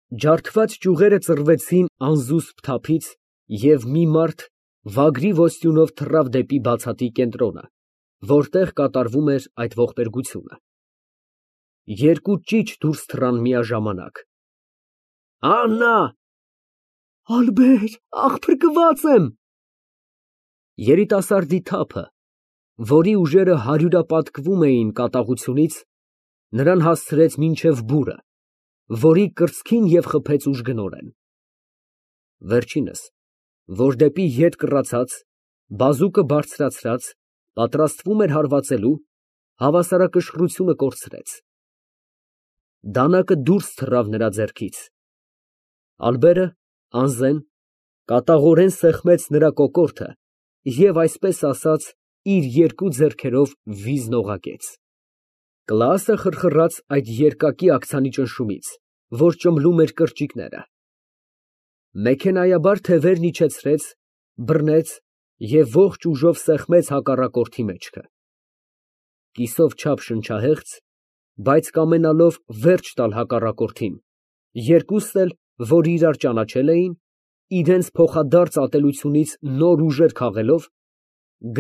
Ջարդված ճյուղերը ծռվեցին անզուսպ թափից, և մի մարդ վագրի ոսյունով թռավ դեպի բացատի կենտրոնը, որտեղ կատարվում էր այդ ողբերգությունը։ Երկու ճիչ դուրս թռան միաժամանակ։ Աննա։ Ալբեր, աղ, փրկված եմ։ Երիտասարդի թափը, որի ուժերը հարյուրապատկվում էին կատաղությունից, նրան հասցրեց մինչև բուրը, որի կրծքին և խփեց ուժգնորեն։ Վերջինս, որ դեպի ետ կռացած, բազուկը բարձրացրած, պատրաստվում էր հարվածելու, հավասարակշռությունը կորցրեց։ Դանակը դուրս թռավ նրա ձեռքից։ Ալբերը, անզեն, կատաղորեն սեղմեց նրա կոկորդը և, այսպես ասած, իր երկու ձեռքերով վիզն օղակեց։ Կլասը խրխռաց այդ երկակի աքցանի ճնշումից, որ ճմլում էր կրճիկները։ Մեքենայաբար թևերն իջեցրեց, բռնեց և ողջ ուժով սեղմեց հակառակորդի մեջքը։ Կիսով չափ շնչահեղձ, բայց կամենալով վերջ տալ հակառակորդին, երկուսն էլ, որ իրար ճանաչել էին, իրենց փոխադարձ ատելությունից նոր ուժեր քաղելով,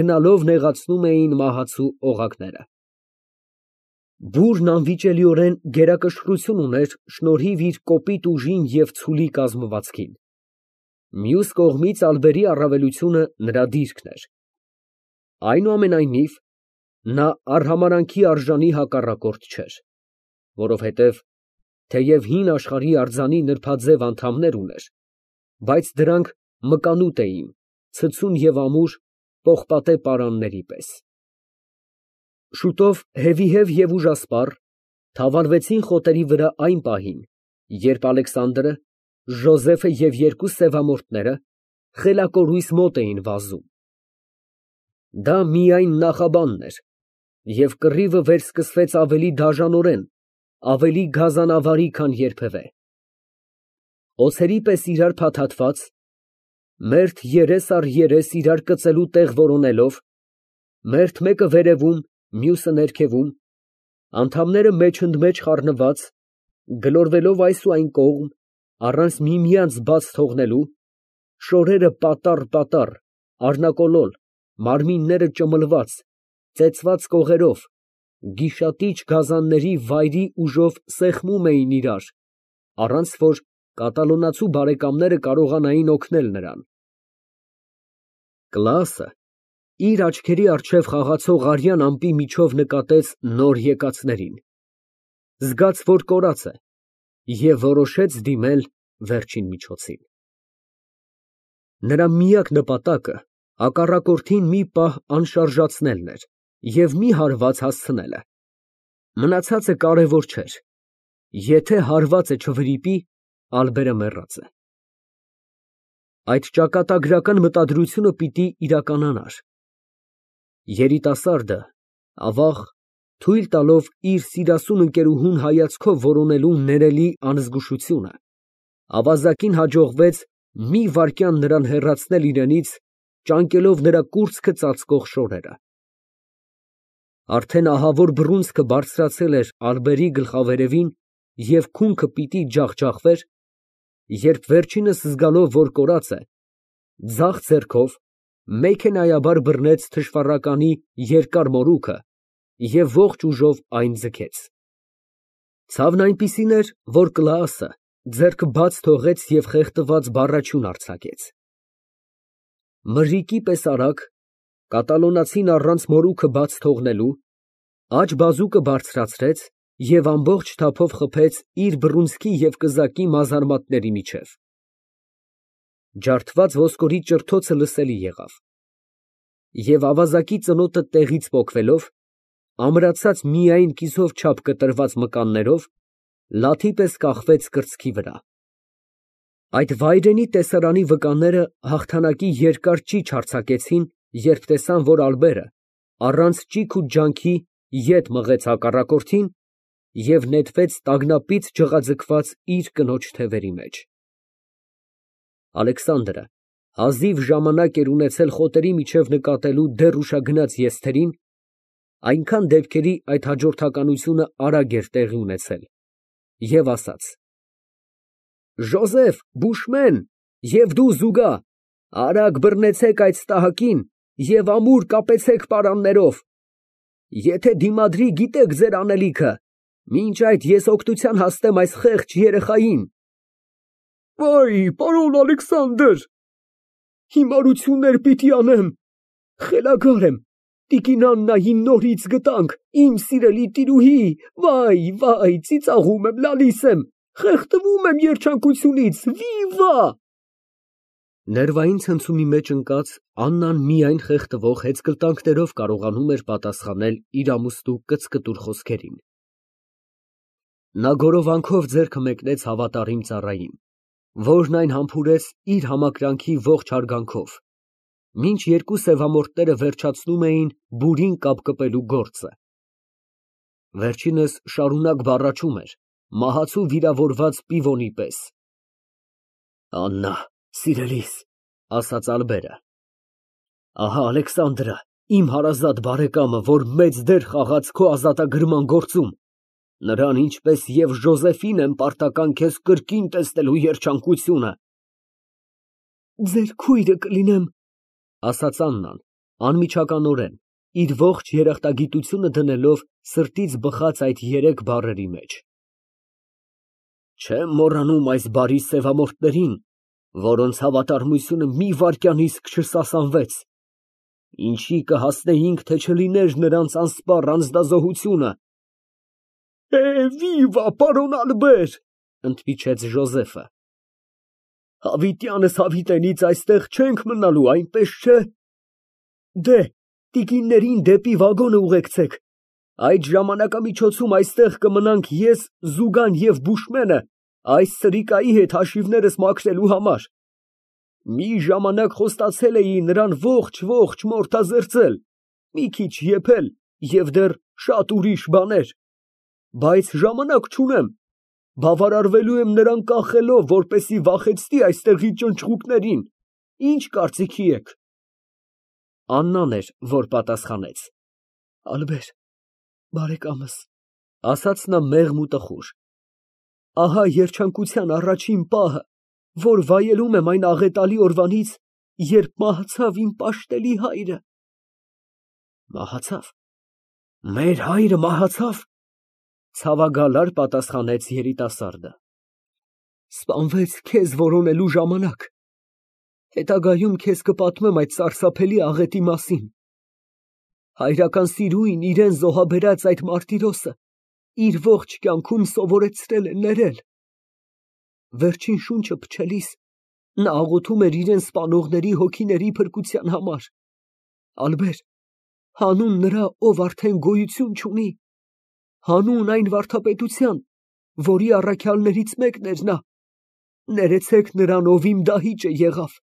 գնալով նեղացնում էին մահացու օղակները։ Բուրն անվիճելիորեն գերակշռություն ուներ շնորհիվ իր կոպիտ ուժին և ցուլի կազմվածքին։ Մյուս կողմից ալբերի առավելությունը նրա դիրքն էր։ Այնուամենայնիվ, նա արհամարհանքի արժանի հակառակորդ չէր, որովհետև թեև հին աշխարհի արձանի նրբաձև անդամներ ուներ, բայց դրանք մկանուտ էին, ցցուն և ամուր, պողպատե պարանների պես։ Շուտով հևիհև և ուժասպառ թավալվեցին խոտերի վրա այն պահին, երբ Ալեքսանդրը, Ժոզեֆը և երկու սևամորթները խելակորույս մոտ էին վազում։ Դա միայն նախաբանն էր, և կռիվը վերսկսվեց ավելի դաժանորեն, ավելի գազանավարի, քան երբևէ։ Օձերի պես իրար փաթաթված, մերթ երես առ երես իրար կծելու տեղ որոնելով, մերթ մեկը վերևում, մյուսը ներքևում, անդամները մեջընդմեջ խառնված, գլորվելով այս ու այն կողմ, առանց միմյանց բաց թողնելու, շորերը պատառ, առնակոլոլ, մարմինները ճմլված, ծեծված կողերով, գիշատիչ գազանների վայրի ուժով սեղմում էին իրար, առանց որ կատալոնացու բարեկամները կարողանային օգնել նրան։ Կլասը իր աչքերի առջև խաղացող արյան ամպի միջով նկատեց նոր եկածներին, զգաց, որ կորած է, և որոշեց դիմել վերջին միջոցին։ Նրա միակ նպատակը հակառակորդին մի պահ անշարժացնելն էր և մի հարված հասցնելը։ Մնացածը կարևոր չէր. եթե հարվածը չվրիպի, ալբերը մեռած է։ Այդ ճակատագրական մտադրությունը պիտի իրականանար։ Երիտասարդը, ավաղ, թույլ տալով իր սիրասուն ընկերուհուն հայացքով որոնելու ներելի անզգուշությունը, ավազակին հաջողվեց մի վայրկյան նրան հեռացնել իրենից, ճանկելով նրա կուրծքը ծածկող շորերը։ Արդեն ահավոր բռունցքը բարձրացել էր ալբերի գլխավերևին և քունքը պիտի ջախջախվեր, երբ վերջինս զգալով, որ կորած է, ձախ ձեռքով մեքենայաբար բռնեց թշվառականի երկար մորուքը և ողջ ուժով այն ձգեց։ Ցավն այնպիսին էր, որ Կլաասը ձեռքը բաց թողեց և խեղդված բառաչյուն արձակեց։ Մրրիկի պես արագ, կատալոնացին առանց մորուքը բաց թողնելու, աջ բազուկը բարձրացրեց և ամբողջ թափով խփեց իր բռունցքի և կզակի մազարմատների միջև։ Ջարդված ոսկորի ճրթոցը լսելի եղավ, և ավազակի ծնոտը տեղից պոկվելով, ամրացած միայն կիսով չափ կտրված մկաններով, լաթի պես կախվեց կրծքի վրա։ Այդ վայրենի տեսարանի վկանները հաղթանակի երկար ճիչ արձակեցին, երբ տեսան, որ ալբերը առանց ճիգ ու ջանքի ետ մղեց հակառակորդին և նետվեց տագնապից ջղաձգված իր կնոջ թևերի մեջ։ Ալեքսանդրը հազիվ ժամանակ էր ունեցել խոտերի միջև նկատելու դեռ ուշագնաց եզթերին, այնքան դեպքերի այդ հաջորդականությունը արագ էր տեղի ունեցել, և ասաց. Ժոզեֆ, Բուշմեն և դու Զուգա, արագ բռնեցեք այդ ստահակին և ամուր կապեցեք պարաններով։ Եթե դիմադրի, գիտեք ձեր անելիքը, մինչ այդ ես օգնության հասնեմ այս խեղճ երեխային։ Վայ, պարոն Ալեքսանդր, հիմարություններ պիտի անեմ, խելագար եմ, տիկին Աննային նորից գտանք, իմ սիրելի տիրուհի, վայ, ծիծաղում եմ, լալիս եմ, խեղդվում եմ երջանկությունից, վիվա։ Ներվային ցնցումի մեջ ընկած Աննան միայն խեղդվող հեծկլտանքներով կարողանում էր պատասխանել իր ամուսնու կծկտուր խոսքերին։ Նա գորովանքով ձեռքը մեկնեց հավատարիմ ծառային, որն այն համբուրեց իր համակրանքի ողջ հարգանքով, մինչ երկու սևամորթները վերջացնում էին բուրին կապկպելու գործը։ Վերջինս շարունակ բառաչում էր, մահացու վիրավորված պիվոնի պես։ Աննա, սիրելիս, ասաց Ալբերը, ահա Ալեքսանդրը, իմ հարազատ բարեկամը, որ մեծ դեր խաղաց քո ազատագրման գործում, նրան ինչպես և Ժոզեֆին եմ պարտական քեզ կրկին տեսնելու երջանկությունը։ Ձեր քույրը կլինեմ, ասաց Աննան, անմիջականորեն, իր ողջ երախտագիտությունը դնելով սրտից բխած այդ երեք բառերի մեջ։ Չեմ մոռանում այս բարի սևամորթներին, որոնց հավատարմությունը մի վայրկյանիսկ չսասանվեց, ինչի կհասնեինք, թե չլիներ նրանց անսպառ անձնազոհությունը։ Վիվա, պարոն Ալբեր, ընդմիջեց Ժոզեֆը։ Հավիտյանս հավիտենից այստեղ չենք մնալու, այնպես չէ։ Դե, տիկիններին դեպի վագոնը ուղեկցեք, այդ ժամանակամիջոցում այստեղ կմնանք ես, Զուգան և Բուշմենը այս սրիկայի հետ հաշիվներս մաքրելու համար։ Մի ժամանակ խոստացել էի նրան ողջ մորթազերծել, մի քիչ եփել և դեռ շատ ուրիշ բաներ, բայց ժամանակ չունեմ, բավարարվելու եմ նրան կախելով, որպեսզի վախեցնի այստեղի ճնճղուկներին, ինչ կարծիքի եք։ Աննան էր, որ պատասխանեց։ Ալբեր, բարեկամս, ասաց նա մեղմ ու տխուր, ահա երջանկության առաջին պահը, որ վայելում եմ այն աղետալի օրվանից, երբ մահացավ իմ պաշտելի հայրը։ Մահացավ։ Մեր հայրը մահացավ, ցավագալար պատասխանեց երիտասարդը։ Սպանվեց քեզ որոնելու ժամանակ։ Հետագայում քեզ կպատմեմ այդ սարսափելի աղետի մասին։ Հայրական սիրուին իրան զոհաբերած այդ մարտիրոսը իր ողջ կյանքում սովորեցրել է ներել։ Վերջին շունչը փչելիս նա աղոթում էր իրան սպանողների հոգիների փրկության համար։ Ալբեր, հանուն նրա, ով արդեն գոյություն չունի, հանուն այն վարդապետության, որի առաքյալներից մեկն էր նա, ներեցեք նրան, ով իմ դահիճը եղավ։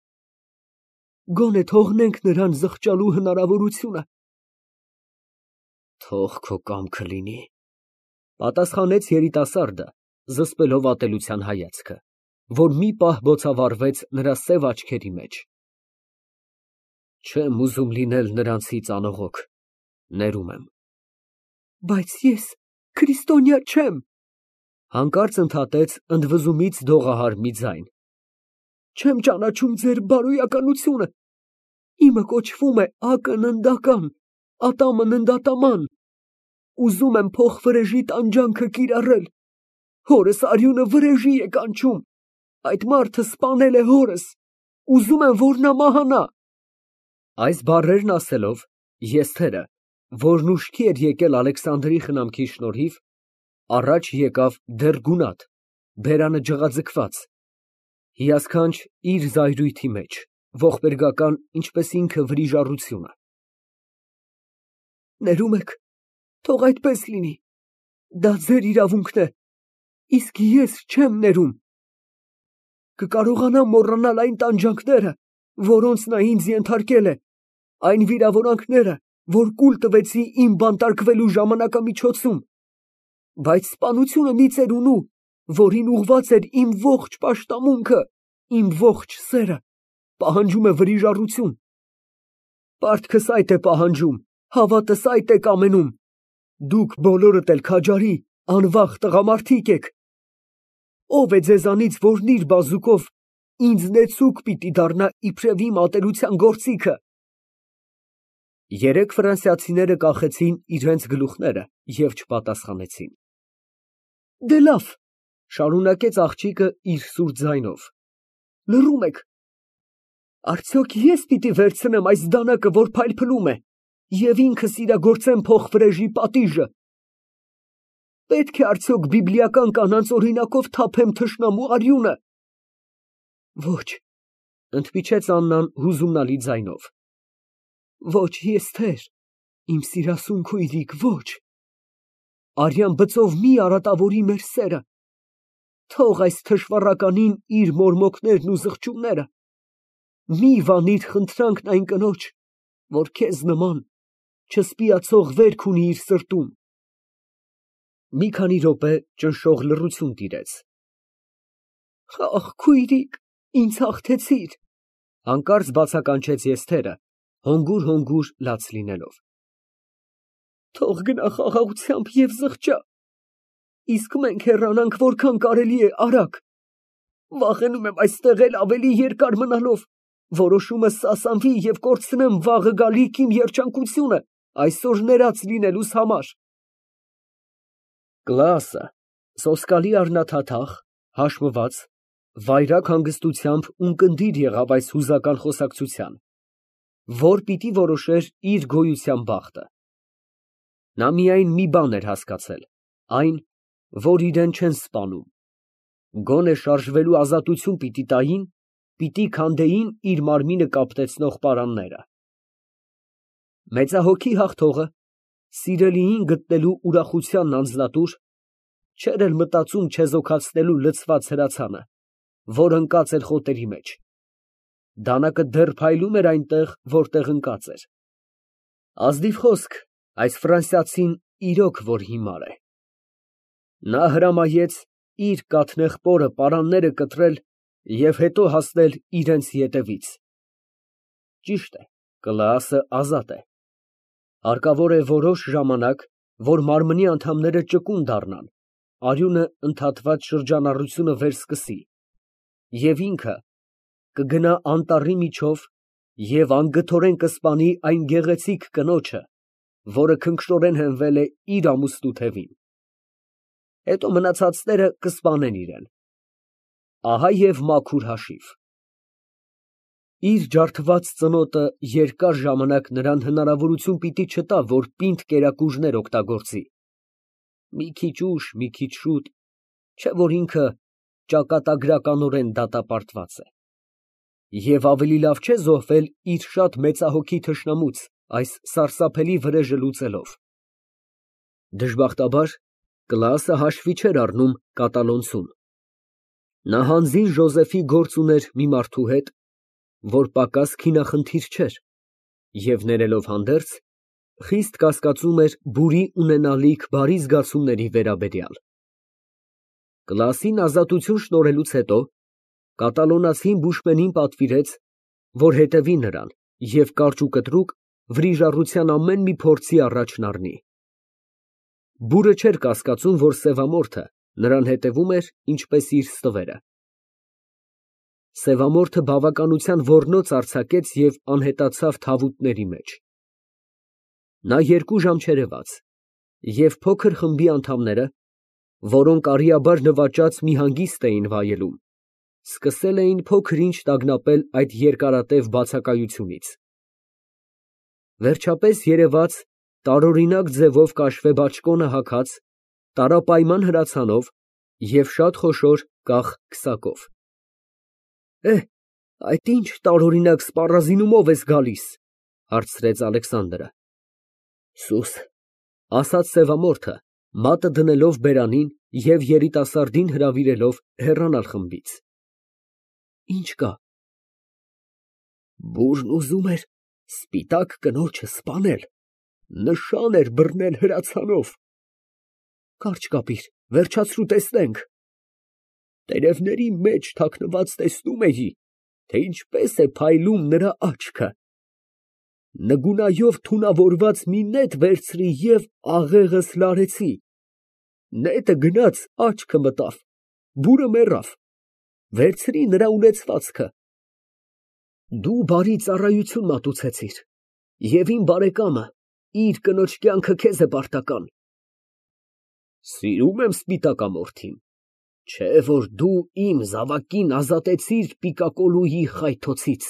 Գոնե թողնենք նրան զղջալու հնարավորությունը։ Թող քո կամքը լինի, պատասխանեց երիտասարդը, զսպելով ատելության հայացքը, որ մի պահ բոցավառվեց նրա սև աչքերի մեջ։ Չեմ ուզում լինել նրանցից անողոք, ներում եմ։ Բայց ես քրիստոնյա չեմ, հանկարծ ընդհատեց ընդվզումից դողահար մի ձայն։ Չեմ ճանաչում ձեր բարոյականությունը, իմը կոչվում է ակննդական, ատամը ննդատաման, ուզում եմ փոխվրեժի տանջանքը կիրառել, հորս արյունը վրեժի է կանչում, այդ մարդը սպանել է հորս, ուզում եմ, որ նա մահանա։ Այս բառերն ասելով, Եսթերը, որն ուշքի էր եկել Ալեքսանդրի խնամքի շնորհիվ, առաջ եկավ դեռ գունատ, բերանը ջղաձգված, հիասքանչ իր զայրույթի մեջ, ողբերգական, ինչպես ինքը վրիժառությունը։ Ներում եք, թող այդպես լինի, դա ձեր իրավունքն է, իսկ ես չեմ ներում։ Կկարողանամ մոռանալ այն տանջանքները, որոնց նա ինձ ենթարկել է, այն վիրավորանքները, որ կուլ տվեցի իմ բանտարկվելու ժամանակամիջոցում, բայց սպանությունը մի ծերունու, որին ուղղված էր իմ ողջ պաշտամունքը, իմ ողջ սերը, պահանջում է վրիժառություն։ Պարտքս այդ է պահանջում, հավատս այդ է կամենում։ Դուք բոլորդ էլ քաջարի, անվախ տղամարդիկ եք։ Ով է ձեզանից, որն իր բազուկով ինձ նեցուկ պիտի դառնա իբրև իմ ատելության գործիքը։ Երեք ֆրանսիացիները կախեցին իրենց գլուխները և չպատասխանեցին։ Դե լավ, շարունակեց աղջիկը իր սուր ձայնով, լռում եք։ Արդյոք ես պիտի վերցնեմ այս դանակը, որ փայլփլում է, և ինքս իրագործեմ փոխվրեժի պատիժը։ Պետք է արդյոք բիբլիական կանանց օրինակով թափեմ թշնամու արյունը։ Ոչ, ընդմիջեց Աննան հուզումնալի ձայնով։ Ոչ, Եստեր, իմ սիրասուն քույրիկ, ոչ։ Արյան բծով մի արատավորի մեր սերը։ Թող այս թշվառականին իր մորմոքներն ու զղջումները։ Մի վանիր խնդրանքն այն կնոջ, որ քեզ նման չսպիացող վերք ունի իր սրտում։ Մի քանի րոպե ճնշող լռություն տիրեց։ Ախ, քույրիկ, ինձ հաղթեցիր, հանկարծ բացականչեց Եստերը, հոնգուր լաց լինելով։ Թող գնա խաղաղությամբ և զղջա, իսկ մենք հեռանանք որքան կարելի է արագ։ Վախենում եմ այստեղ էլ ավելի երկար մնալով, որոշումս սասանվի և կորցնեմ վաղը գալիք իմ երջանկությունը այսօր ներած լինելուս համար։ Կլասը սոսկալի առնաթաթախ, հաշմված, վայրագ հանգստությամբ ունկնդիր եղավ այս հուզական խոսակցության, որ պիտի որոշեր իր գոյության բախտը։ Նա միայն մի բան էր հասկացել, այն, որ իրեն չեն սպանում, գոնե շարժվելու ազատություն պիտի տային, պիտի քանդեին իր մարմինը կապտեցնող պարանները։ Մեծահոգի հաղթողը, սիրելիին գտնելու ուրախությանն անձնատուր, չէր էլ մտածում չեզոքացնելու լցված հրացանը, որ ընկած էր խոտերի մեջ։ Դանակը դեռ փայլում էր այնտեղ, որտեղ ընկած էր։ Ազնիվ խոսք, այս ֆրանսիացին իրոք որ հիմար է։ Նա հրամայեց իր կաթնեղ պարանները կտրել և հետո հասնել իրենց ետևից։ Ճիշտ է, Կլաասը ազատ է։ Հարկավոր է որոշ ժամանակ, որ մարմնի անդամները ճկուն դառնան, արյունը ընդհատված շրջանառությունը վերսկսի, և ինքը կգնա անտառի միջով և անգթորեն կսպանի այն գեղեցիկ կնոջը, որը քնքշորեն հենվել է իր ամուսնու թևին։ Հետո մնացածները կսպանեն իրան։ Ահա և մաքուր հաշիվ։ Իր ջարդված ծնոտը երկար ժամանակ նրան հնարավորություն պիտի չտա, որ պինդ կերակուրներ օգտագործի։ Մի քիչ ուշ, մի քիչ շուտ, չէ՞ որ ինքը ճակատագրականորեն դատապարտված է։ Եվ ավելի լավ չէ զոհվել իր շատ մեծահոգի թշնամուց այս սարսափելի վրեժը լուծելով։ Դժբախտաբար, Կլաասը հաշվի չէր առնում կատալոնցուն։ Նա հանձին Ժոզեֆի գործ ուներ մի մարդու հետ, որ պակաս քինախնդիր չէր, և ներելով հանդերձ, խիստ կասկածում էր բուրի ունենալիք բարի զգացումների վերաբերյալ։ Կլասին ազատություն շնորհելուց հետո կատալոնացին բուշմենին պատվիրեց, որ հետևի նրան և կարճ ու կտրուկ վրիժառության ամեն մի փորձի առաջն առնի։ Բուրը չէր կասկածում, որ սևամորթը նրան հետևում էր, ինչպես իր ստվերը։ Սևամորթը բավականության ոռնոց արձակեց և անհետացավ թավուտների մեջ։ Նա 2 ժամ չերևաց, և փոքր խմբի անդամները, որոնք արիաբար նվաճած մի հանգիստ էին վայելում, սկսել էին փոքր֊ինչ տագնապել այդ երկարատև բացակայությունից։ Վերջապես երևաց տարօրինակ ձևով կաշվե բաճկոնը հագած, տարապայման հրացանով և շատ խոշոր կախ քսակով։ Այդ ի՞նչ տարօրինակ սպառազինումով ես գալիս, հարցրեց Ալեքսանդրը։ Սուս, ասաց սևամորթը, մատը դնելով բերանին և երիտասարդին հրավիրելով հեռանալ խմբից։ Ինչ կա։ Բուրն ուզում էր սպիտակ կնոջը սպանել, նշան էր բռնել հրացանով։ Կարճ կապիր, վերջացրու տեսնենք։ Տերևների մեջ թաքնված տեսնում էի, թե ինչպես է փայլում նրա աչքը։ Նգունայով թունավորված մի նետ վերցրի և աղեղս լարեցի։ Նետը գնաց աչքը մտավ, բուրը մեռավ, վերցրի նրա ունեցվածքը։ Դու բարի ծառայություն մատուցեցիր, և իմ բարեկամը իր կնոջ կյանքը քեզ է պարտական։ Սիրում եմ սպիտակամորթին, չէ որ դու իմ զավակին ազատեցիր պիկակոլուի խայթոցից։